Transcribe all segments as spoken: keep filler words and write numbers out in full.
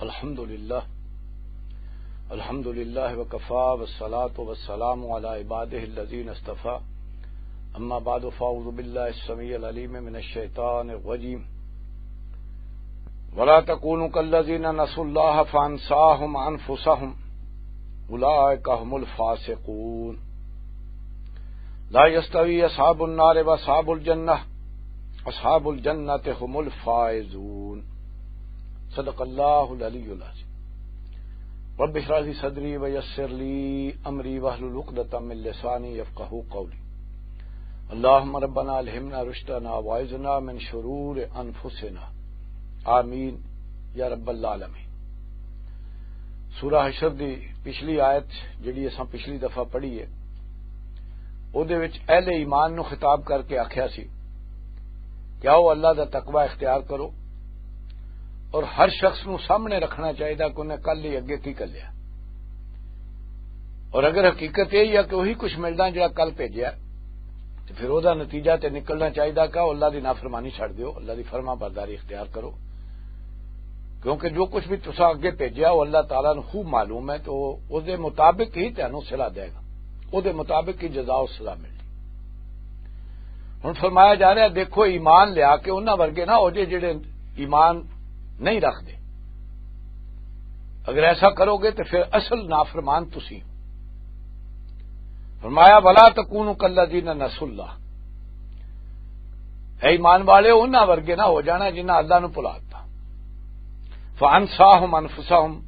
الحمد لله. الحمد لله وكفى، والصلاة والسلام على عباده الذين اصطفى. أما بعد، فأعوذ بالله السميع العليم من الشيطان الرجيم. ولا تكونوا كالذين نسوا الله فأنساهم أنفسهم، أولئك هم الفاسقون. لا يستوي أصحاب النار وأصحاب الجنة، أصحاب الجنة هم الفائزون. صدق الله العلي العظيم. رب اشرح لي صدري ويسر لي أمري واحلل عقدة من لساني يفقهوا قولي. اللهم ربنا ألهمنا رشدنا وأعذنا من شرور أنفسنا. آمين يا رب العالمين. سورہ حشر دی پچھلی آیت، جڑی اساں پچھلی دفعہ پڑھی ہے، اودے وچ اہل ایمان نو خطاب کر کے آکھیا سی کہ آؤ، اللہ دا تقوی اختیار کرو اور ہر شخص نو سامنے رکھنا چاہیدا کہ انہیں کل ہی اگے کی کر لیا۔ اور اگر حقیقت یہ ہے کہ وہی کچھ ملنا جڑا کل بھیجیا، تو پھر او دا نتیجہ تے نکلنا چاہیدا کہ او اللہ دی نافرمانی چھڈ دیو، اللہ دی فرما برداری اختیار کرو، کیونکہ جو کچھ بھی تساں اگے بھیجیا، او اللہ تعالیٰ نوں خوب معلوم ہے، تو او دے مطابق ہی تانوں صلہ دے گا، او دے مطابق ہی جزا و سزا ملنی۔ ہن فرمایا جا رہا ہے، دیکھو، ایمان لیا کے انہاں ورگے نہ ہو جے جڑے ایمان نہیں رکھدے۔ اگر ایسا کرو گے تو پھر اصل نافرمان تسی ہو۔ فرمایا، ولا تکونوا کالذین نسوا اللہ، اے ایمان والے، انہاں ورگے نہ ہو جانا جنہاں اللہ نو بھلا دتا۔ فانساہم انفسہم،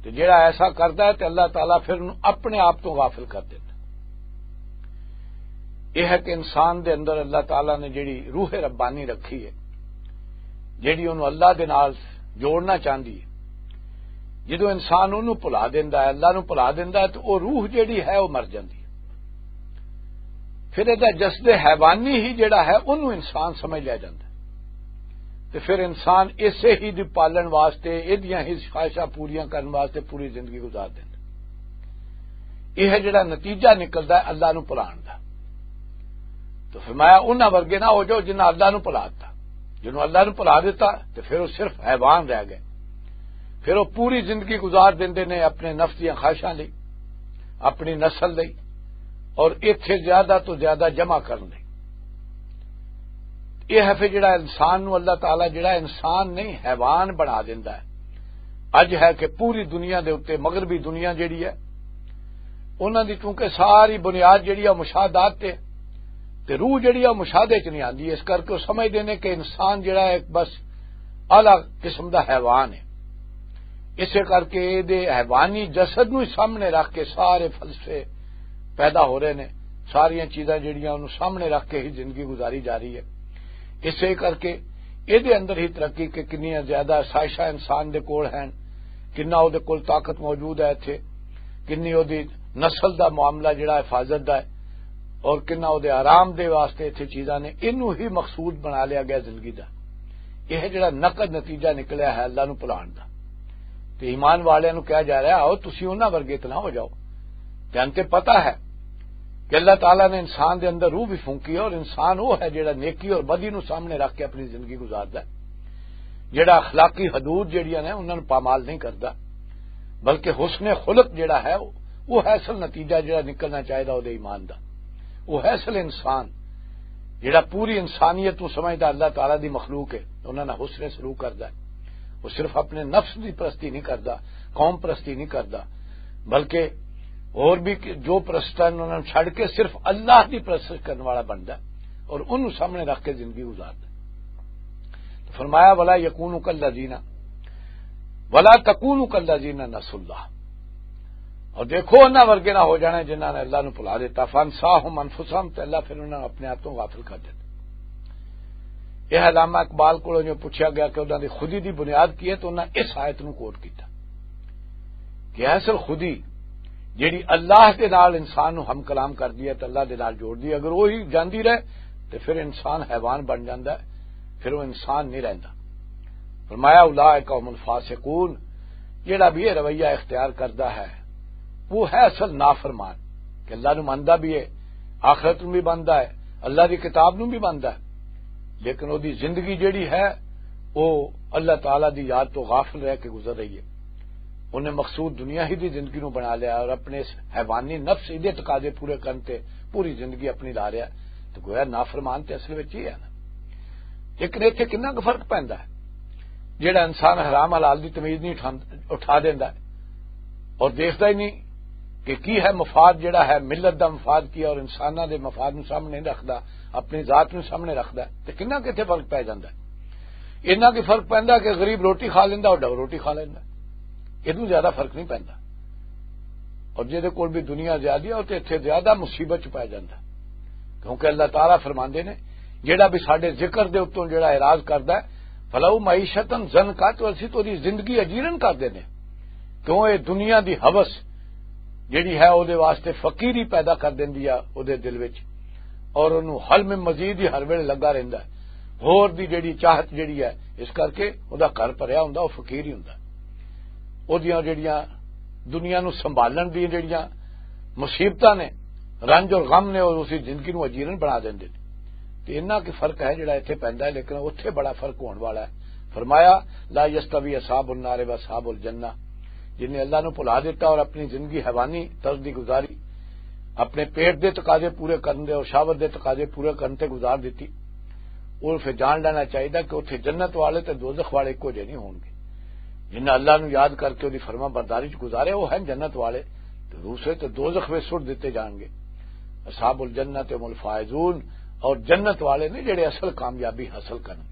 تے جڑا ایسا کردا ہے تے اللہ تعالیٰ پھر انہوں اپنے آپ تو غافل کر دیندا۔ یہ ہے کہ انسان دے اندر اللہ تعالیٰ نے جڑی روح ربانی رکھی ہے، جڑی انہوں اللہ دے نال جوڑنا چاہندی ہے، جدوں انسان انہوں بھلا دیندا ہے، اللہ نوں بھلا دیندا ہے، تو وہ روح جڑی ہے، وہ مر جاندی ہے۔ پھر یہ جسد حیوانی ہی جڑا ہے، انہوں انسان سمجھ لیا جاندا ہے۔ تے پھر انسان اسے ہی دی پالن واسطے، ایدیاں ہی خواہشاں پوریاں کرن واسطے پوری زندگی گزار دیندا۔ یہ ہے جڑا نتیجہ نکلدا ہے اللہ نو بھلان دا۔ تو فرمایا، انہاں ورگے نہ ہو جاؤ جنہاں اللہ نو بھلا دتا۔ جنہوں اللہ نو بھلا دتا، تے پھر وہ صرف حیوان رہ گئے۔ پھر وہ پوری زندگی گزار دیندے نے اپنے نفس دیاں خواہشاں لئی، اپنی نسل لئی، اور ایتھے زیادہ تو زیادہ جمع کرن لئی۔ یہ ہے پھر جڑا انسان نو اللہ تعالیٰ جڑا انسان نہیں، حیوان بنا دیندا ہے۔ اج ہے کہ پوری دنیا دے اُتے، مغربی دنیا جڑی ہے، انہاں دی چونکہ ساری بنیاد جڑی ہے مشاہدات تے، تے روح جڑی ہے مشاہدے چ نہیں آندی، اس کر کے وہ سمجھدے نے کہ انسان جڑا ہے ایک بس اعلیٰ قسم دا حیوان ہے۔ اسے کر کے اے دے حیوانی جسد نوں ہی سامنے رکھ کے سارے فلسفے پیدا ہو رہے نے، ساریاں چیزاں جڑیاں انہوں سامنے رکھ کے ہی زندگی گزاری جا رہی ہے۔ اسے کر کے اے دے اندر ہی ترقی کہ کنیاں زیادہ سازشاں انسان دے کول ہیں، کنا او دے کول طاقت موجود ہے اتھے، کنی او دی نسل دا معاملہ جڑا حفاظت دا ہے، اور کنا او دے آرام دے واسطے اتھے چیزاں نے، انہوں ہی مقصود بنا لیا گیا زندگی دا۔ یہ جڑا نقد نتیجہ نکلیا ہے اللہ نو بھلان دا۔ تے ایمان والے نو کہا جا رہا ہے، آؤ تسی انہاں ورگے تے نہ ہو جاؤ۔ تے انتے پتہ ہے کہ اللہ تعالیٰ نے انسان دے اندر روح بھی پھونکی ہے، اور انسان وہ ہے جڑا نیکی اور بدی نو سامنے رکھ کے اپنی زندگی گزاردا ہے، جڑا اخلاقی حدود جڑیاں نے انہاں نو پامال نہیں کردا، بلکہ حسن خلق جڑا ہے، وہ ہے اصل نتیجہ جڑا نکلنا چاہیدا او دے ایمان دا۔ وہ ہے اصل انسان، جڑا پوری انسانیت نو سمجھدا اللہ تعالیٰ دی مخلوق ہے، انہاں نال حسن سلوک کردا ہے۔ وہ صرف اپنے نفس دی پرستی نہیں کردا، قوم پرستی نہیں کردا، بلکہ اور بھی جو پرستاں انہاں نوں چھڈ کے صرف اللہ دی پرست کرن والا بندا ہے اور انہوں سامنے رکھ کے زندگی گزاردا ہے۔ تو فرمایا، ولا یکونوا کالذین، ولا تکونوا کالذین نسوا اللہ۔ اور دیکھو، انہاں ورگے نہ ہو جانا جنہاں نے اللہ نو بھلا دیتا، فانساہم انفسہم، تے اللہ پھر انہاں نوں اپنے آپ تو غافل کر دیتا۔ یہ علامہ اقبال کو جو پوچھا گیا کہ انہاں دی خودی دی بنیاد کی ہے، تو انہاں اس آیت نو کوٹ کیتا کہ اصل خودی جڑی اللہ دے نال انسان نو ہم کلام کر دی ہے تے اللہ دے نال جوڑ دی ہے، اگر وہی جاندی رہے تے پھر انسان حیوان بن جاندا ہے، پھر وہ انسان نہیں رہندا۔ فرمایا، اولئک هم الفاسقون، جڑا بھی یہ رویہ اختیار کردا ہے، وہ ہے اصل نافرمان، کہ اللہ نو مندا بھی ہے، آخرت نو بھی مندا ہے، اللہ دی کتاب نو بھی مندا ہے، لیکن وہ دی زندگی جڑی ہے، وہ اللہ تعالیٰ دی یاد تو غافل رہ کے گزر رہی ہے۔ انہیں مقصود دنیا ہی دی زندگی نو بنا لیا اور اپنے اس حیوانی نفس دے تقاضے پورے کرن تے پوری زندگی اپنی لا رہا ہے۔ تو گویا نافرمان تے اصل وچ یہ ہے نا۔ لیکن اتھے کنا کُ فرق پیندا ہے؟ جیڑا انسان حرام حلال دی تمیز نہیں اٹھان-، اٹھا دیندا ہے اور دیکھدا ہی نہیں کہ کی ہے مفاد، جیڑا ہے ملت دا مفاد کی ہے اور انساناں دے مفاد نوں سامنے نہیں رکھدا، اپنی ذات نوں سامنے رکھدا ہے، تے کنا کتھے فرق پے جاندا ہے؟ انہاں کی فرق پیندا کہ غریب روٹی کھا لیندا اور ڈو روٹی کھا لیندا۔ ادوں زیادہ فرق نہیں پیندا۔ اور جہدے کول بھی دنیا زیادہ ہے، تے اتھے زیادہ مصیبت چ پے جاندا۔ کیونکہ اللہ تعالیٰ فرماندے نے، جیڑا بھی ساڈے ذکر دے اتوں جیڑا اعراض کردا ہے، فلو معیشتاً ضنکا، تو اسی تو دی زندگی اجیرن کر دینے۔ کیوں؟ اے دنیا دی ہوس جیڑی ہے، او دے واسطے فقیری پیدا کر دیندی ہے او دے دل وچ، اور اونوں حلم مزید ہی ہر ویلے لگا رہندا ہے۔ ہور دی جیڑی چاہت جیڑی ہے، اس کر کے او دا گھر بھریا ہوندا، او فقیر ہی ہوندا۔ او دیاں جیڑیاں دنیا نوں سنبھالن دیاں جیڑیاں مصیبتاں نے، رنج اور غم نے، او اسی زندگی نوں اجیرن بنا دیندے نے۔ تے انہاں کی فرق ہے جیڑا ایتھے پیندا ہے، لیکن اوتھے بڑا فرق ہون والا ہے۔ فرمایا، لا یستوی اصحاب النار و اصحاب الجنہ۔ جن نے اللہ نو بھلا دیتا اور اپنی زندگی حیوانی طرز دی گزاری، اپنے پیٹ دے تقاضے پورے کرن دے اور شہوت دے تقاضے پورے کرن تے گزار دیتی، اور پھر جان لینا چاہیے کہ اتھے جنت والے تے دوزخ والے اکو جے نہیں ہون گے۔ جنہاں اللہ نو یاد کر کے اوہدی فرما برداری چ گزارے، وہ ہیں جنت والے، تے دوسرے تے دوزخ وچ سٹ دتے جان گے۔ اصحاب الجنت هم الفائزون، اور جنت والے نے جڑے اصل کامیابی حاصل کرن گے۔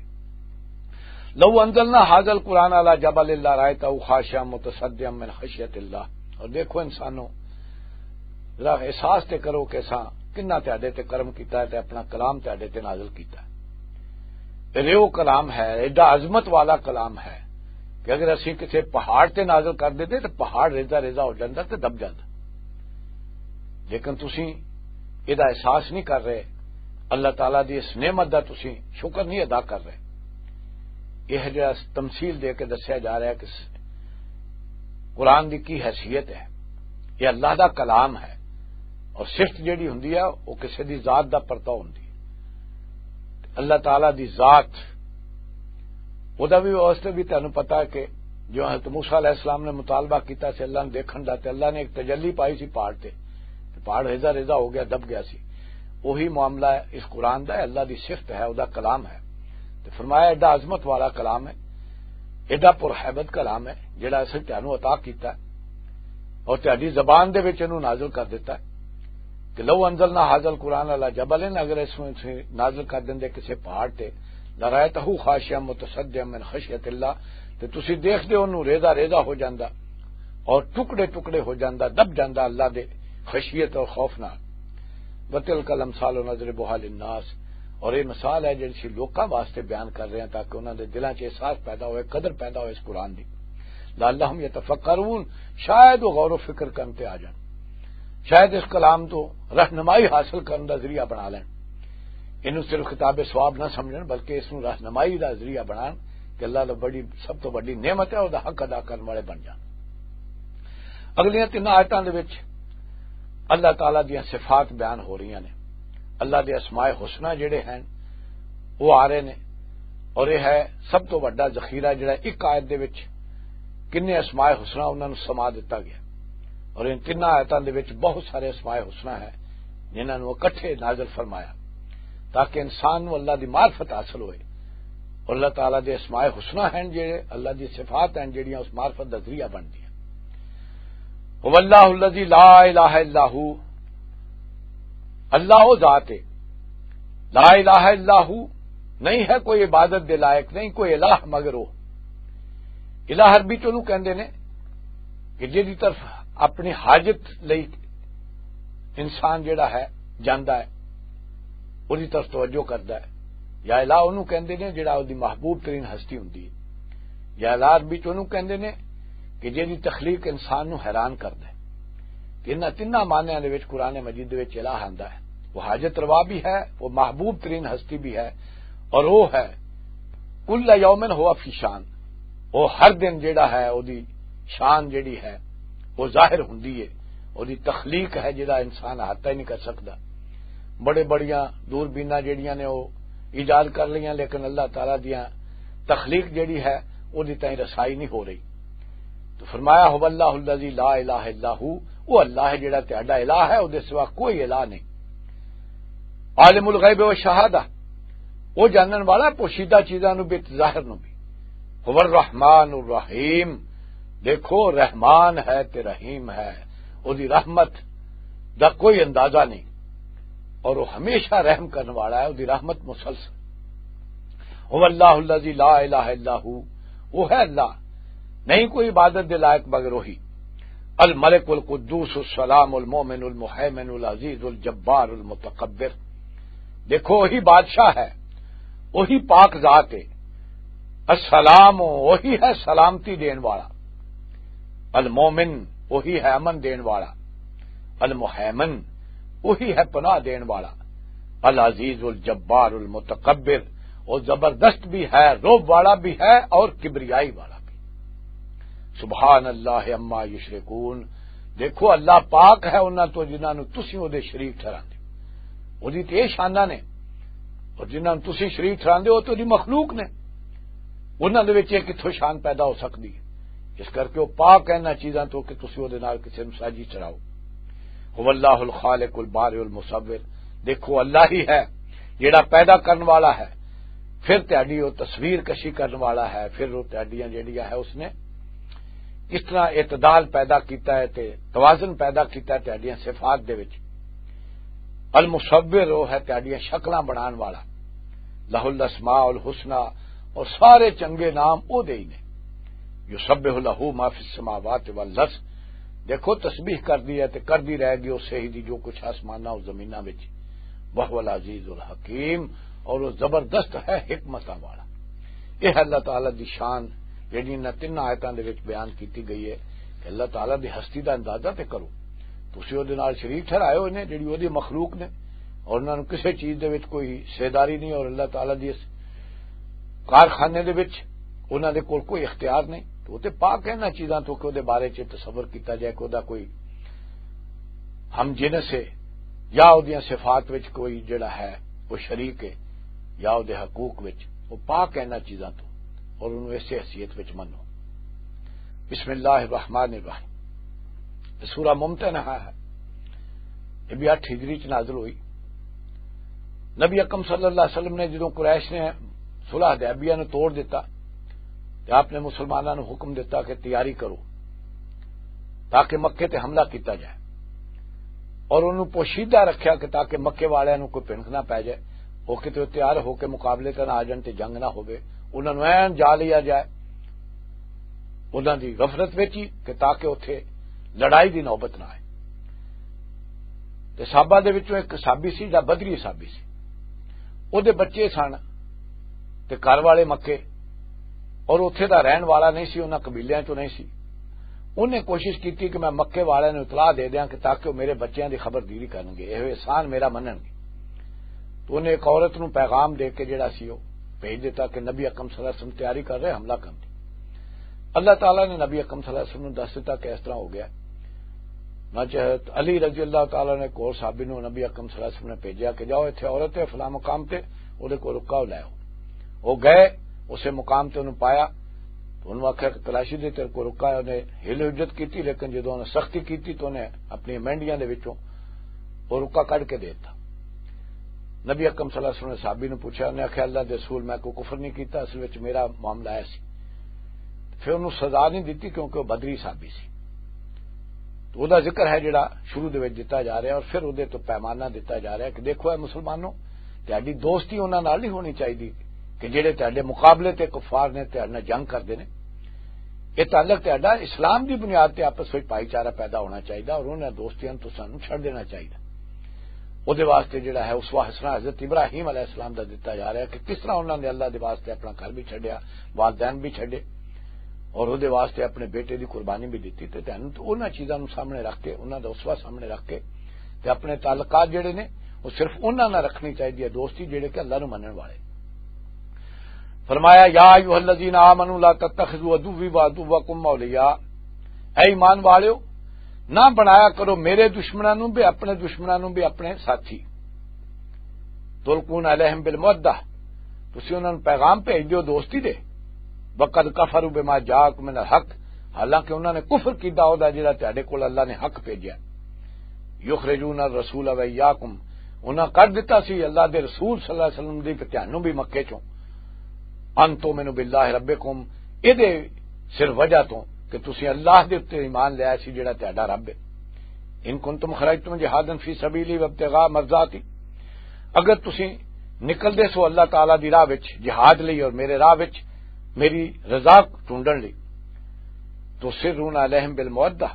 لو انزلنا هذا القرآن على جبل لرأيته خاشعا متصدعا من خشية الله۔ اور دیکھو انسانوں، ذرا احساس تے کرو کہ اساں کنا تہاڈے تے کرم کیتا ہے تے اپنا کلام تہاڈے تے نازل کیتا ہے۔ تے ریو کلام ہے، ایڈا عظمت والا کلام ہے کہ اگر اسی کسے پہاڑ تے نازل کر دیتے تے پہاڑ ریزہ ریزہ ہو جاندا تے دب جاندا۔ لیکن تسی ادا احساس نہیں کر رہے، اللہ تعالیٰ دی اس نعمت دا تسی شکر نہیں ادا کر رہے۔ یہ جڑا تمثیل دے کے دسیا جا رہا ہے کہ قرآن دی کی حیثیت ہے۔ یہ اللہ دا کلام ہے، اور صفت جڑی ہوندی ہے، وہ کسے دی ذات دا پرتاؤ ہوندی ہے۔ اللہ تعالیٰ دی ذات، وہ دا بھی واسطے بھی تانوں پتا ہے کہ جو حضرت موسیٰ علیہ السلام نے مطالبہ کیتا سی اللہ نے دیکھن دا، تے اللہ نے ایک تجلی پائی سی پہاڑ تے، تے پہاڑ ریزہ ریزہ ہو گیا، دب گیا سی۔ وہی معاملہ ہے اس قرآن دا، اللہ دی صفت ہے، وہ دا کلام ہے۔ تے فرمایا، ایڈا عظمت والا کلام ہے، ایڈا پرہیبت کلام ہے، جڑا اساں تانوں عطا کیتا ہے اور تہاڈی زبان دے وچ اینوں نازل کر دیتا ہے۔ کہ لو انزلنا هذا القرآن على جبل، اگر اس نوں اساں نازل کر دیندے کسے پہاڑ تے، لرأيته خاشعا متصدعا من خشية الله، تے تسی دیکھدے اونوں ریزہ ریزہ ہو جاندا اور ٹکڑے ٹکڑے ہو جاندا، دب جاندا اللہ دے خشیت اور خوف نال۔ وتلك الامثال نضربها للناس، اور یہ مثال ہے جڑی سی لوکاں واسطے بیان کر رہے ہیں تاکہ انہاں دے دلاں 'چ احساس پیدا ہوئے، قدر پیدا ہوئے اس قرآن دی۔ لعلهم يتفکرون، شاید وہ غور و فکر کرن تے آ جان، شاید اس کلام تو رہنمائی حاصل کرن دا ذریعہ بنا لین۔ اینوں صرف کتاب ثواب نہ سمجھن بلکہ اس نوں رہنمائی دا ذریعہ بنان کہ اللہ دا بڑی، سب تو بڑی نعمت ہے، او دا حق ادا کرن والے بن جان۔ اگلیاں تین آیتاں دے وچ اللہ تعالیٰ دیاں صفات بیان ہو رہیاں نے، اللہ دے اسماء حسنہ جڑے ہیں وہ آ رہے نے، اور یہ ہے سب تو بڑا ذخیرہ جڑا ایک آیت دے وچ کنے اسماء حسنہ انہاں نوں سما دتا گیا۔ اور ان تین آیتاں دے وچ بہت سارے اسماء حسنہ ہیں جنہاں نوں اکٹھے نازل فرمایا تاکہ انسان نوں اللہ دی معرفت حاصل ہوئے۔ اور اللہ تعالیٰ دے اسماء حسنہ ہیں جڑے اللہ دی صفات ہیں جڑیاں اس معرفت دا ذریعہ بندیاں۔ هو اللہ الذی لا الہ الا ہو، اللہ وہ ذات ہے، لا الہ الا ہو، نہیں ہے کوئی عبادت دے لائق، نہیں کوئی الہ مگر وہ۔ الہ عربی چ انہوں کہندے نے کہ جہدی طرف اپنی حاجت لئی انسان جڑا ہے جاندا ہے، اودی طرف توجہ کردا ہے۔ یا الہ انہوں کہندے نے جڑا اودی محبوب ترین ہستی ہوندی ہے۔ یا الہ عربی چ انہوں کہندے نے کہ جہدی تخلیق انسان نو حیران کردا ہے۔ کہ انہاں تیناں معنیاں دے وچ قرآن مجید دے وچ الہ آندا ہے۔ وہ حاجت روا بھی ہے، وہ محبوب ترین ہستی بھی ہے، اور وہ ہے کل یوم ہوا فی شان۔ وہ ہر دن جڑا ہے، اودی شان جڑی ہے، وہ ظاہر ہوندی ہے۔ اودی تخلیق ہے جڑا انسان احاطہ ہی نہیں کر سکدا۔ بڑے بڑیاں دوربیناں جڑیاں نے وہ ایجاد کر لیاں، لیکن اللہ تعالیٰ دیاں تخلیق جڑی ہے، اودی تائیں رسائی نہیں ہو رہی۔ تو فرمایا، "هو اللہ الذی لا الہ الا ہو"، وہ اللہ ہے جڑا تہاڈا الہ ہے، او دے سوا کوئی الہ نہیں۔ عالم الغیب و شہادہ، وہ جانن والا پوشیدہ چیزاں نو بھی تے ظاہر نو بھی۔ "هو الرحمن الرحیم"، دیکھو، رحمان ہے تے رحیم ہے، او دی رحمت دا کوئی اندازہ نہیں، اور وہ ہمیشہ رحم کرنے والا ہے، او دی رحمت مسلسل۔ "هو اللہ الذی لا الہ الا ہو"، وہ ہے اللہ، نہیں کوئی عبادت دے لائق مگر وہی۔ "الملک القدوس السلام المؤمن المہیمن العزیز الجبار المتکبر"۔ دیکھو، وہی بادشاہ ہے، وہی پاک ذات ہے۔ السلام، وہی ہے سلامتی دین والا۔ المومن، وہی ہے امن دین والا۔ المہیمن، وہی ہے پناہ دین والا۔ العزیز الجبار المتکبر، وہ زبردست بھی ہے، روب والا بھی ہے اور کبریائی والا بھی۔ سبحان اللہ عما یشرکون۔ دیکھو، اللہ پاک ہے انہاں تو جنہاں نوں تسی او دے شریک ٹھہراندے۔ او دی تے شاناں نے، اور جنہاں نوں تسی شریک ٹھہراندے ہو، او تے دی مخلوق نے۔ انہاں دے وچ یہ کتھوں شان پیدا ہو سکدی ہے؟ اس کر کے او پاک ہے انہاں چیزاں تو کہ تسی او دے نال کسے نوں ساجی چڑھاؤ۔ "هو اللہ الخالق البارئ المصور"، دیکھو، اللہ ہی ہے جڑا پیدا کرن والا ہے، پھر تہاڈی او تصویر کشی کرن والا ہے، پھر او تہاڈیاں جڑیاں ہے اس نے کس طرح اعتدال پیدا کیتا ہے تے توازن پیدا کیتا ہے تہاڈیاں صفات دے وچ۔ المصور، وہ ہے تہاڈیاں شکلاں بنان والا۔ لہ الاسماء الحسنی، اور سارے چنگے نام او دے ہی نے۔ یسبح لہ ما فی السماوات والارض، دیکھو، تسبیح کردی ہے تے کردی رہے گی اسے ہی دی جو کچھ آسماناں اور زمیناں وچ۔ وہو العزیز الحکیم، اور وہ زبردست ہے حکمتاں والا۔ یہ اللہ تعالیٰ دی شان جڑی انہاں تین آیتاں دے وچ بیان کیتی گئی ہے کہ اللہ تعالیٰ دی ہستی دا اندازہ تے کرو۔ تسی او دے نال شریک ٹھہرائے ہوئے نے جڑی او دی مخلوق نے، اور انہاں نوں کسے چیز دے وچ کوئی حصے داری نہیں، اور اللہ تعالیٰ دی اس کارخانے دے وچ انہاں دے کول کوئی اختیار نہیں۔ تو او تے پاک ہے انہاں چیزاں تو کہ او دے بارے چ تصور کیتا جائے کہ او دا کوئی ہم جنس ہے، یا او دیاں صفات وچ کوئی جڑا ہے وہ شریک ہے، یا او دے حقوق وچ، وہ پاک ہے انہاں چیزاں تو، اور انہوں ایسے حیثیت وچ منو۔ بسم اللہ الرحمن الرحیم۔ یہ سورہ ممتنحہ ہے، یہ بھی اٹھ ہجری چ نازل ہوئی۔ نبی اکرم صلی اللہ علیہ وسلم نے جدوں قریش نے صلح حدیبیہ نو توڑ دیتا، تے آپ نے مسلماناں نو حکم دیتا کہ تیاری کرو، تاکہ مکے تے حملہ کیتا جائے، اور انہوں پوشیدہ رکھیا کہ تاکہ مکے والیاں نو کوئی پھنک نہ پے جائے، وہ کتے تیار ہو کے مقابلے تے نہ آ جان تے جنگ نہ ہووے، انہاں نو این جا لیا جائے، انہاں دی غفلت وچ ہی، کہ تاکہ اوتھے لڑائی دی نوبت نہ آئے۔ تے صحابہ دے وچوں ایک صحابی سی جا بدری صحابی سی، او دے بچے سن تے گھر والے مکے، اور اوتھے دا رہن والا نہیں سی، انہاں قبیلیاں چوں نہیں سی۔ انہیں کوشش کیتی کہ میں مکے والے نوں اطلاع دے دیاں کہ تاکہ وہ میرے بچیاں دی خبر دیری کرن گے، یہ احسان میرا منن گے۔ تو انہیں ایک عورت نوں پیغام دے کے جڑا سی وہ بھیج دیتا کہ نبی اکرم صلی اللہ علیہ وسلم تیاری کر رہے حملہ کرن دی۔ اللہ تعالیٰ نے نبی اکرم صلی اللہ علیہ وسلم نوں دس دیتا کہ اس طرح ہو گیا۔ نہ چاہت علی رضی اللہ تعالیٰ نے کور صحابی نوں نبی اکرم صلی اللہ علیہ وسلم نے بھیجیا کہ جاؤ، اتھے عورت ہے فلاں مقام تے، اودے کو رکا لے آؤ۔ وہ گئے، اسے مقام تے انہوں پایا، تو انہوں آکھیا کہ تلاشی دے تیرے کو رکا ہے۔ انہیں ہل حجت کیتی، لیکن جدوں انہوں سختی کیتی تو انہیں اپنی مینڈیاں دے وچوں وہ رکا کڈ کے دیتا۔ نبی اکرم صلی اللہ علیہ وسلم نے صحابی نوں پوچھا، انہیں آکھیا، "اللہ دے رسول، میں کوئی کفر نہیں کیتا، اصل وچ میرا معاملہ ہے سی۔" پھر انہوں سزا نہیں دتی کیونکہ وہ بدری صحابی سی۔ تو وہ ذکر ہے جڑا شروع دے وچ دتا جا رہا ہے، اور پھر وہ تو پیمانہ دتا جا رہا ہے کہ دیکھو اے مسلمانوں، تہاڈی دوستی انہاں نال نہیں ہونی چاہیے کہ جڑے تہاڈے مقابلے تے کفار نے، تہاڈے نال جنگ کردے نے۔ یہ تعلق تہاڈا اسلام دی بنیاد تے آپس وچ بھائی چارہ پیدا ہونا چاہیے، اور انہاں دوستیاں نوں تساں نوں چھڈ دینا چاہیے۔ وہ واسطے جڑا ہے اسوہ حسنہ حضرت ابراہیم علیہ السلام دا دتا جا رہا ہے کہ کس طرح انہاں نے اللہ دے واسطے اپنا گھر بھی چھڈیا، والدین بھی چھڈے، اور وہ واسطے اپنے بیٹے دی قربانی بھی دتی۔ تے تینوں تو انہاں چیزاں نوں سامنے رکھ کے، انہاں دا اسوہ سامنے رکھ کے، تے اپنے تعلقات جڑے نے، وہ صرف انہاں نال رکھنی چاہیے، دوستی جڑے کہ اللہ نوں منن والے۔ فرمایا، "یا ایھا الذین آمنوا لا تتخذوا عدوی و عدوکم اولیاء"، اے ایمان والیو، نہ بنایا کرو میرے دشمناں نوں بھی، اپنے دشمناں نوں بھی اپنے ساتھی۔ تلقون الیہم بالمودہ، تسی انہاں نوں پیغام بھیج دیو دوستی دے۔ وقد کفروا بما جاءکم من الحق، حالانکہ انہاں نے کفر کیتا، او دا جڑا تہاڈے کول اللہ نے حق بھیجیا۔ یخرجون الرسول و ایاکم، انہاں کڈ دتا سی اللہ دے رسول صلی اللہ علیہ وسلم دی تے تہانوں بھی مکے چوں۔ ان تؤمنوا باللہ ربکم، اے دے صرف وجہ تو کہ تسی اللہ دے اُتے ایمان لیا سی جڑا تہاڈا رب ہے۔ ان کنتم خرجتم جہادا فی سبیلی وابتغاء مرضاتی، اگر تسی نکل دے سو اللہ تعالیٰ دی راہ وچ جہاد لئی اور میرے راہ وچ میری رضا ڈھونڈن لئی، تو سرون علیہم بالمودہ،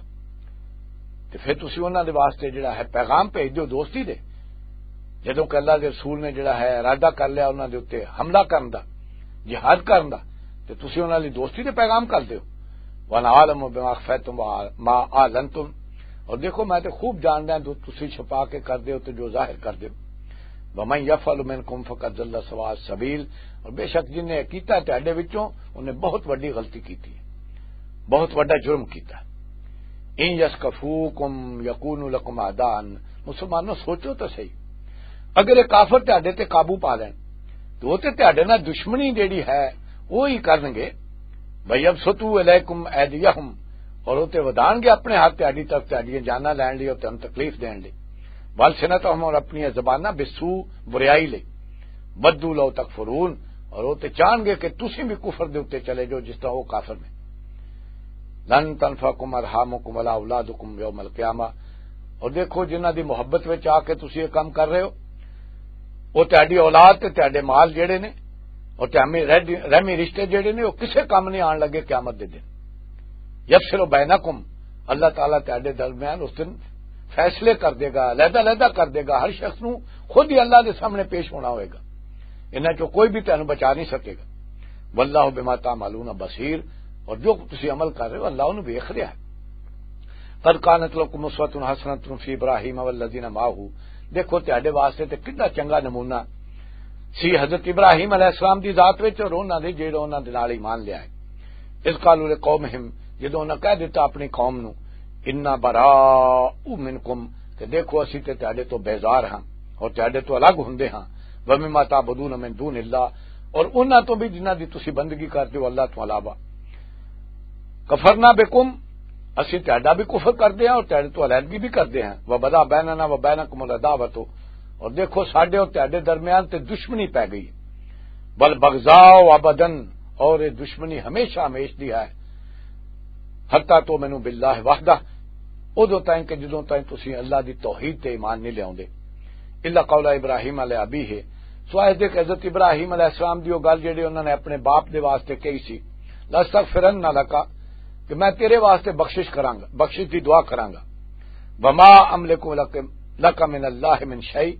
تے پھر تسی انہاں دے واسطے جڑا ہے پیغام بھیج دیو دوستی دے۔ جدوں کہ اللہ دے رسول نے جڑا ہے ارادہ کر لیا انہاں دے اُتے حملہ کرن دا، جہاد کرن دا، تے تسی انہاں لئی دوستی دے پیغام کر دیو۔ وانا عالم بما اخفیتم وما اعلنتم، اور دیکھو میں تے خوب جاندا ہاں جو تسی چھپا کے کر دیو تے جو ظاہر کر دیو۔ ومن یفعل منکم فقد ضل سواء السبیل، اور بے شک جن نے کیتا ہے تہاڈے وچوں، انہیں بہت وڈی غلطی کیتی ہے، بہت وڈا جرم کیتا ہے۔ ان یثقفوکم یکونوا لکم اعداء، مسلمانوں سوچو تو صحیح، اگر یہ کافر تہاڈے تے قابو پا لین تو وہ تے تہاڈے نال دشمنی جیڑی ہے وہ ہی کرنگے۔ ویبسطوا الیکم ایدیہم، اور وہ تے ودان گے اپنے ہاتھ تہاڈی طرف تہاڈیاں جاناں لین لئی اور تہانوں تکلیف دین لئی۔ والسنتہم، اور اپنی زباناں، بالسوء، بریائی لئی۔ ودوا لو تکفرون، اور وہ تے چاہن گے کہ تسی بھی کفر دے اُتے چلے جاؤ جس طرح وہ کافر نے۔ لن تنفعکم ارحامکم ولا اولادکم یوم القیامہ، اور دیکھو جنہاں دی محبت وچ آ کے تسی یہ کام کر رہے ہو، وہ تہاڈی اولاد تے تہاڈے مال جڑے نے اور تہاڈے رحمی رشتے جڑے نے وہ کسے کام نہیں آن لگے قیامت دے دن۔ یفصل بینکم، اللہ تعالیٰ تہاڈے درمیان اس دن فیصلے کر دے گا، علیحدہ علیحدہ کر دے گا، ہر شخص نو خود ہی اللہ دے سامنے پیش ہونا ہوئے گا۔ انہاں چوں کوئی بھی تہانوں بچا نہیں سکے گا۔ واللہ بما تعملون بصیر، اور جو تسی عمل کر رہے ہو اللہ انہوں ویکھ رہا ہے۔ قد کانت لکم اسوۃ حسنۃ فی ابراہیم والذین معہ، دیکھو تہاڈے واسطے تے کتنا چنگا نمونہ سی حضرت ابراہیم علیہ السلام دی ذات وچ اور انہاں دے جڑے انہاں دے نال ایمان لیا ہے۔ اذ قالوا لقومہم، جدوں انہاں کہہ دتا اپنی قوم نو، انا براء منکم، کہ دیکھو اسی تے تہاڈے تو بیزار ہاں اور تہاڈے تو الگ ہوندے ہاں، ومما تعبدون من دون اللہ، اور انہاں تو بھی جنہاں دی تسی بندگی کردے ہو اللہ تو علاوہ۔ کفرنا بکم، اسی تہاڈا بھی کفر کردے ہاں اور تہاڈے تو علیحدگی بھی کردے ہاں۔ وبدا بیننا وبینکم العداوۃ، اور دیکھو ساڈے اور تہاڈے درمیان تے دشمنی پے گئی۔ والبغضاء ابدا، اور یہ دشمنی ہمیشہ ہمیش دی ہے۔ حتی تؤمنوا باللہ وحدہ، ادوں تائیں کہ جدوں تائیں تسی اللہ دی توحید تے ایمان نہیں لیاوندے۔ الا قول ابراہیم علیہ ابیہ، سوائے دے کہ حضرت ابراہیم علیہ السلام دی وہ گل جڑی انہوں نے اپنے باپ دے واسطے کہی سی، لاستغفرن لک، کہ میں تیرے واسطے بخشش کراں گا، بخشش دی دعا کراں گا۔ وما املک لک، لک من اللہ من شیء،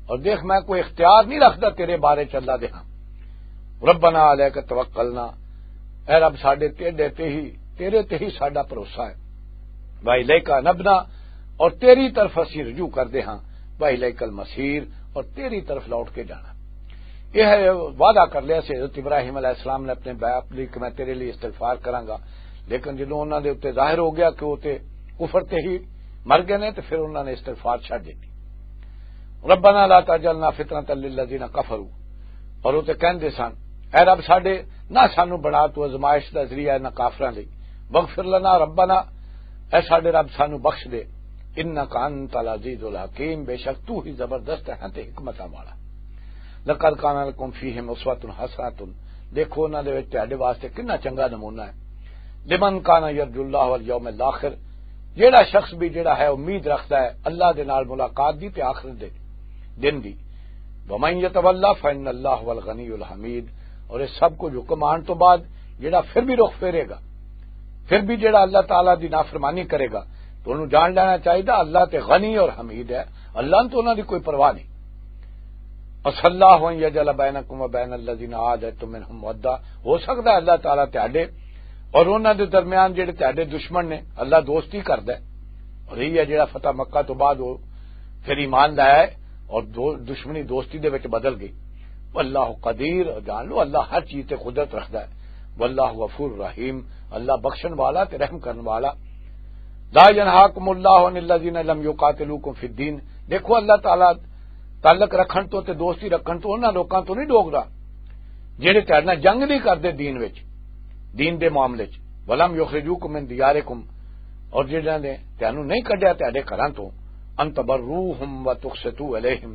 اور دیکھ میں کوئی اختیار نہیں رکھدا تیرے بارے چ اللہ دے ہاں۔ ربنا علیک توکلنا، اے رب ساڈے تیرے تے ہی، تیرے تے ہی ساڈا بھروسہ ہے۔ والیک انبنا، اور تیری طرف اسی رجوع کردے ہاں۔ والیک المصیر، اور تیری طرف لوٹ کے جانا۔ یہ ہے وعدہ کر لیا سی حضرت ابراہیم علیہ السلام نے اپنے باپ لئی کہ میں تیرے لیے استغفار کراں گا، لیکن جدوں انہاں دے اوتے ظاہر ہو گیا کہ وہ تے کفر تے ہی مر گئے نے تے پھر انہاں نے استغفار چھڈ دتی۔ ربنا لا تجعلنا فتنة للذین کفروا، اور وہ تے کہندے سن، اے رب ساڈے، نہ سانو بنا تو آزمائش دا ذریعہ نہ کافراں لئی۔ واغفر لنا ربنا، اے ساڈے رب سانو بخش دے۔ انک انت العزیز الحکیم، بے شک تو ہی زبردست ہے تے حکمتاں والا۔ لقد کان لکم فیہم اسوۃ حسنۃ، دیکھو انہاں دے وچ تہاڈے واسطے کتنا چنگا نمونہ ہے۔ لمن کان یرجو اللہ والیوم الاخر، جیڑا شخص بھی جیڑا ہے امید رکھدا ہے اللہ دے نال ملاقات دی تے آخرت دے دن دی۔ ومن یتولا فان اللہ هو الغنی الحمید، اور اس سب کچھ حکم آن تو بعد جیڑا پھر بھی رخ پھیرے گا، پھر بھی جیڑا اللہ تعالیٰ دی نافرمانی کرے گا، تو انہوں جان لینا چاہیے اللہ تے غنی اور حمید ہے، اللہ تو انہاں دی کوئی پرواہ نہیں۔ عسى الله أن يجعل بينكم وبين الذين عاديتم منهم مودة، ہو سکدا ہے اللہ تعالیٰ تہاڈے اور انہاں دے درمیان جڑے تہاڈے دشمن نے، اللہ دوستی کردا ہے۔ اور یہی ہے جڑا فتح مکہ تو بعد وہ پھر ایمان لایا ہے اور دو-، دشمنی دوستی دے وچ بدل گئی۔ واللہ قدیر، اور جان لو اللہ ہر چیز تے قدرت رکھدا ہے۔ واللہ غفور رحیم، اللہ بخشن والا تے رحم کرن والا۔ لا ينهاكم الله عن الذين لم يقاتلوكم في الدين، دیکھو اللہ تعالیٰ تعلق رکھن تو تے دوستی رکھن تو انہاں لوکاں تو نہیں ڈوکدا جڑے تہاڈے نال جنگ نہیں کردے دین وچ، دین دے معاملے چ۔ ولم یخرجوکم من دیارکم، اور جنہاں نے تانوں نہیں کڈیا تہاڈے گھراں تو، ان تبروہم و تقسطوا الیہم،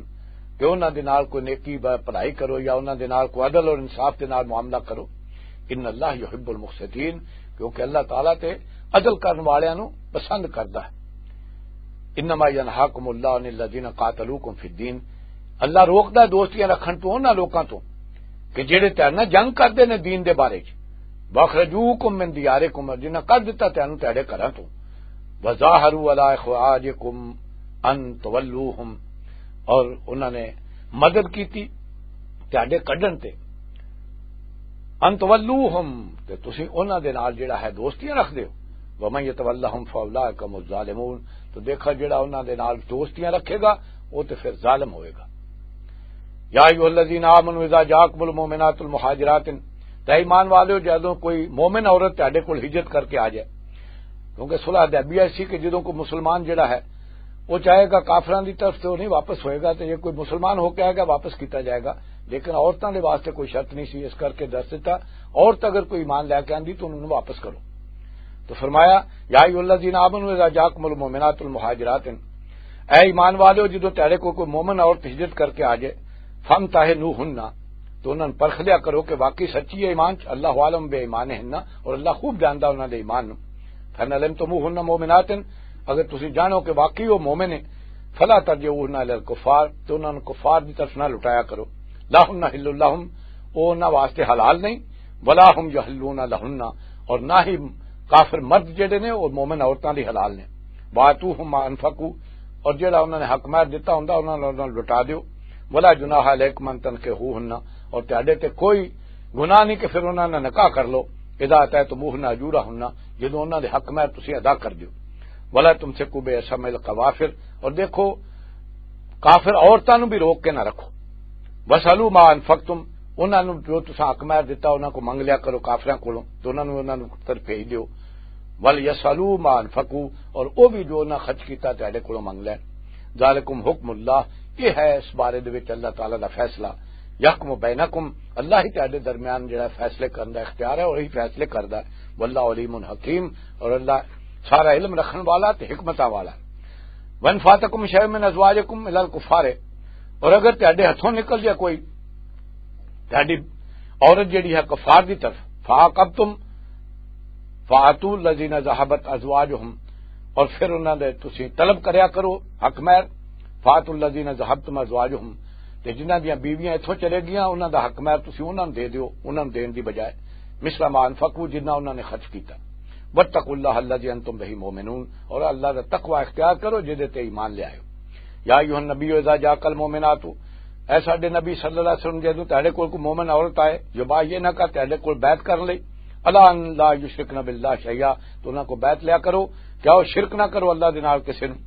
کہ انہاں دے نال کوئی نیکی ب-، بھلائی کرو یا انہاں دے نال کوئی عدل اور انصاف دے نال معاملہ کرو۔ ان اللہ یحب المقسطین، کیونکہ اللہ تعالیٰ تے عدل کرن والیاں نوں پسند کردا ہے۔ انما ینہاکم اللہ عن الذین قاتلوکم فی الدین، اللہ روکدا ہے دوستیاں رکھن تو انہاں لوکاں تو کہ جڑے تیرے نال جنگ کردے نے دین دے بارے چ۔ واخرجوکم من دیارکم، اور جنہاں کر دتا تینوں تیرے گھراں تو۔ وظاہروا علی اخراجکم ان تولوہم، اور انہاں نے مدد کیتی تیرے کڈن تے۔ ان تولوہم، تے تسی انہاں دے نال جڑا ہے دوستیاں رکھ دیو۔ ومن یتولہم فاولئک هم الظالمون، تو دیکھا جڑا انہاں دے نال دوستیاں رکھے گا، وہ تے پھر ظالم ہوئے گا۔ یا ایھا الذین آمنوا اذا جاءکم المؤمنات المہاجرات، تے ایمان والو، جدوں کوئی مومن عورت تہاڈے کول ہجرت کر کے آ جائے، کیونکہ صلح حدیبیہ سی کہ جدوں کوئی مسلمان جڑا ہے، وہ چاہے گا کافراں دی طرف سے وہ نہیں واپس ہوئے گا، تو یہ کوئی مسلمان ہو کے آئے گا، واپس کیتا جائے گا۔ لیکن عورتاں دے واسطے کوئی شرط نہیں سی، اس کر کے دس دیتا، عورت اگر کوئی ایمان لے کے آندی تو انہوں واپس کرو۔ تو فرمایا، یا ایھا الذین آمنوا اذا جاءکم المؤمنات المہاجرات، اے ایمان والو، جدوں تیرے کو کوئی مومن عورت ہجرت کر کے آ جائے، فامتحنوہن، تو انہاں نوں پرکھ لیا کرو کہ واقعی سچی ہے ایمان چ، اللہ عالم بے ایمان ہن، اور اللہ خوب جاندا انہاں دے ایمان نوں۔ فان علمتموہن مؤمنات، اگر تسی جانو کہ واقعی وہ مومن ہے، فلا ترجعوہن الی الکفار، تو انہاں نوں کفار دی طرف نہ لٹایا کرو۔ لا ہن حل لہم، وہ انہاں واسطے حلال نہیں، ولا ہم یحلون لہن، اور نہ ہی کافر مرد جڑے نے وہ مومن عورتاں دی حلال نے۔ وآتوہم ما انفقوا، اور جڑا انہاں نے حق مہر دتا ہوندا انہاں نوں لٹا دیو۔ ولا جناح علیکم ان تنکحوہن، اور تہاڈے تے کوئی گناہ نہیں کہ پھر انہاں نال نکاح کر لو۔ اذا آتیتموہن اجورہن، جدوں انہاں دے حق مہر تسی ادا کر دیو۔ ولا تمسکوا بعصم الکوافر، اور دیکھو کافر عورتاں نوں بھی روک کے نہ رکھو۔ واسألوا ما انفقتم، انہاں نوں جو تساں حق مہر دتا انہاں کو منگ لیا کرو کافراں کولوں، تے انہاں نوں انہاں نوں طرف بھیج دیو۔ ولیسألوا ما انفقوا، اور او بھی جو انہاں خرچ کیتا تہاڈے کولوں منگ لین۔ ذالکم حکم اللہ، یہ ہے اس بارے دے وچ اللہ تعالیٰ دا فیصلہ۔ یحکم بینکم، اللہ ہی تہاڈے درمیان جڑا فیصلے کرن دا اختیار ہے، وہی فیصلے کردا ہے۔ واللہ علیم حکیم، اور اللہ سارا علم رکھن والا تے حکمتاں والا ہے۔ وان فاتکم شیء من ازواجکم الی الکفار، اور اگر تہاڈے ہتھوں نکل جائے کوئی تہاڈی عورت جڑی ہے کفار دی طرف، فعاقبتم فآتوا الذین ذہبت ازواجہم، اور پھر انہاں دے تسی طلب کریا کرو حق مہر، فآتوا الذین ذہبتم ازواجہم، تے جنہاں دیاں بیویاں اتھوں چلے گیاں انہاں دا حق مہر تسی انہاں نوں دے دیو، انہاں نوں دین دی بجائے، مثل ما انفقوا، جنہاں انہاں نے خرچ کیتا۔ واتقوا اللہ الذی انتم بہ مؤمنون، اور اللہ دا تقوی اختیار کرو جدے تے ایمان لے آئے ہو۔ یا ایھا النبی اذا جاءک المؤمنات، اے ساڈے نبی صلی اللہ علیہ وسلم، جدوں تہاڈے کول کوئی مومن عورت آئے، یبایعنک، تہاڈے کول بیعت کرن لئی، الا ان لا یشرکن باللہ شیئا، تو انہاں کو بیعت لیا کرو کہ آؤ شرک نہ کرو اللہ دے نال کسے نوں۔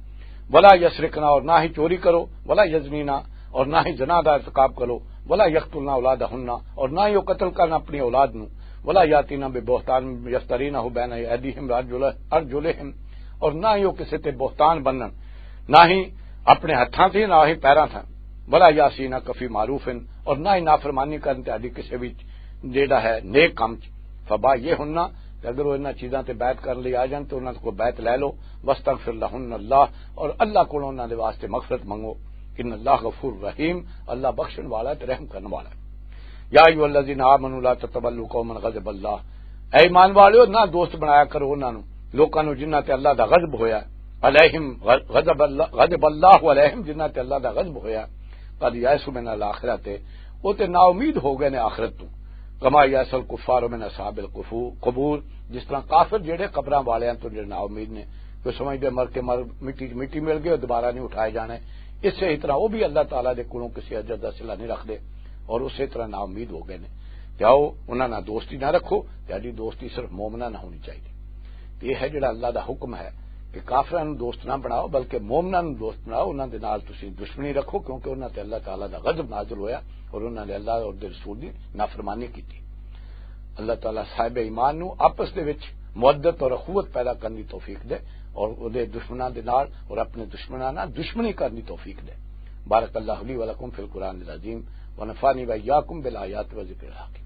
ولا یسرقن، اور نہ ہی چوری کرو، ولا یزنین، اور نہ ہی زنا دا ارتکاب کرو، ولا یقتلن اولادہن، اور نہ ہی وہ قتل کرن اپنی اولاد نوں، ولا یاتین ببہتان یفترینہ بین ایدیہم وارجلہم، اور نہ ہی وہ کسے تے بہتان بنن، نہ ہی اپنے ہتھاں تے، نہ ہی پیراں تے، ولا یعصینک فی معروف، اور نہ ہی نافرمانی کرن تہاڈی کسے وچ جیڑا ہے نیک کم چ۔ فبایعہن، تے اگر وہ انہاں چیزاں تے بیعت کرن لئی آ جان تے انہاں کو بیعت لے لو۔ واستغفر لہن اللہ، اور اللہ کولوں انہاں دے واسطے مغفرت منگو۔ ان اللہ غفور رحیم، اللہ بخشن والا ہے تے رحم کرن والا ہے۔ یا ایھا الذین آمنوا لا تتولوا قوما غضب اللہ، اے ایمان والو، نہ دوست بنایا کرو انہاں نوں، لوکاں نوں جنہاں تے اللہ دا غضب ہویا ہے، علیہم غضب اللہ، غضب اللہ علیہم، جنہاں تے اللہ دا غضب ہویا ہے۔ قد یئسوا من الآخرۃ، وہ تے نا امید ہو گئے نے آخرت تو۔ کما یئس الکفار من اصحاب القبور، جس طرح کافر جڑے قبراں والیاں تو جڑے نا امید نے، وہ سمجھدے مر کے مر مٹی مٹی مل گئے، دوبارہ نہیں اٹھائے جانے۔ اسی طرح وہ بھی اللہ تعالیٰ دے کولوں کسی اجر دا صلہ نہیں رکھدے اور اسی طرح نا امید ہو گئے نے۔ تے آؤ، انہاں نال دوستی نہ رکھو، تہاڈی دوستی صرف مومناں نال ہونی چاہیے۔ تے یہ ہے جڑا اللہ دا حکم ہے کہ کافراں نوں دوست نہ بناؤ، بلکہ مومناں نوں دوست بناؤ، انہاں دے نال تسی دشمنی رکھو، کیونکہ انہاں تے اللہ تعالیٰ دا غضب نازل ہویا اور انہاں نے اللہ اور دے رسول دی نافرمانی کیتی۔ اللہ تعالیٰ صاحب ایمان نوں آپس دے وچ مودت اور اخوت پیدا کرن دی توفیق دے، اور اودے دشمناں دے نال اور اپنے دشمناں نال دشمنی کرن دی توفیق دے۔ بارک اللہ لی و لکم فی القرآن العظیم، ونفعنی و ایاکم بالآیات و ذکر الحکیم۔